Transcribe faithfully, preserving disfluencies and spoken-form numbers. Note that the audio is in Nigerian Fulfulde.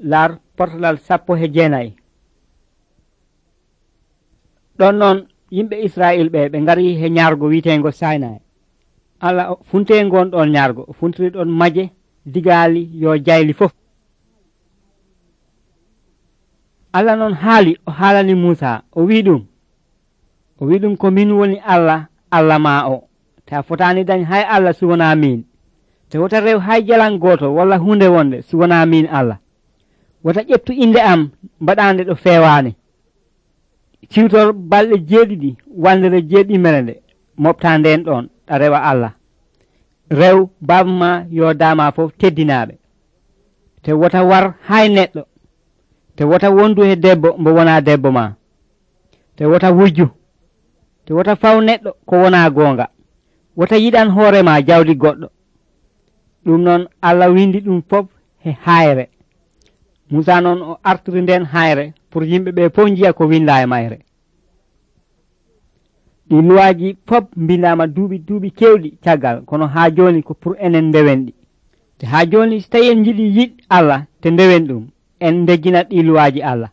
laar portalal sappo he jeenayi. ɗon noon yimɓe Israil ɓe ɓe ngari he ñaargo wiitengo Sinai. Allah funte ngon ɗon ñaargo funtiri ɗon maje digaali yo jayli fof. Allah noon haali o haalani Musa o wi ɗum o wi ɗum ko min woni Allah Allah ma o ta fotani dañ hay Allah suwona min te wota rew hay jalan goto walla hunde wonde suwona min Allah wota ƴettu inde am mbaɗande ɗo fewani siwtor balɗe jeeɗiɗi wandere jeeɗimere nde mofta nden ɗon ɗa rewa Allah rew babma yo dama fof teddinaɓe te wota war hay neɗɗo te wota wondu he debbo mbo wona debbo ma te wota wujju te wota faw neɗɗo ko wona gonga wota yiɗan hoorema jawdi goɗɗo ɗum noon Allah windi ɗum fof he hayre. Musa noon o artiri nden hayre pour yimɓe ɓe fof jiya ko winda e mayre. ɗi luwaji fof mbindama duuɓi duuɓi kewɗi caggal kono ha joni ko pour enen ndewen ɗi te ha joni so tawi en jiiɗi yiɗ Allah te ndewen ɗum en dejjinat ɗi luwaji Allah.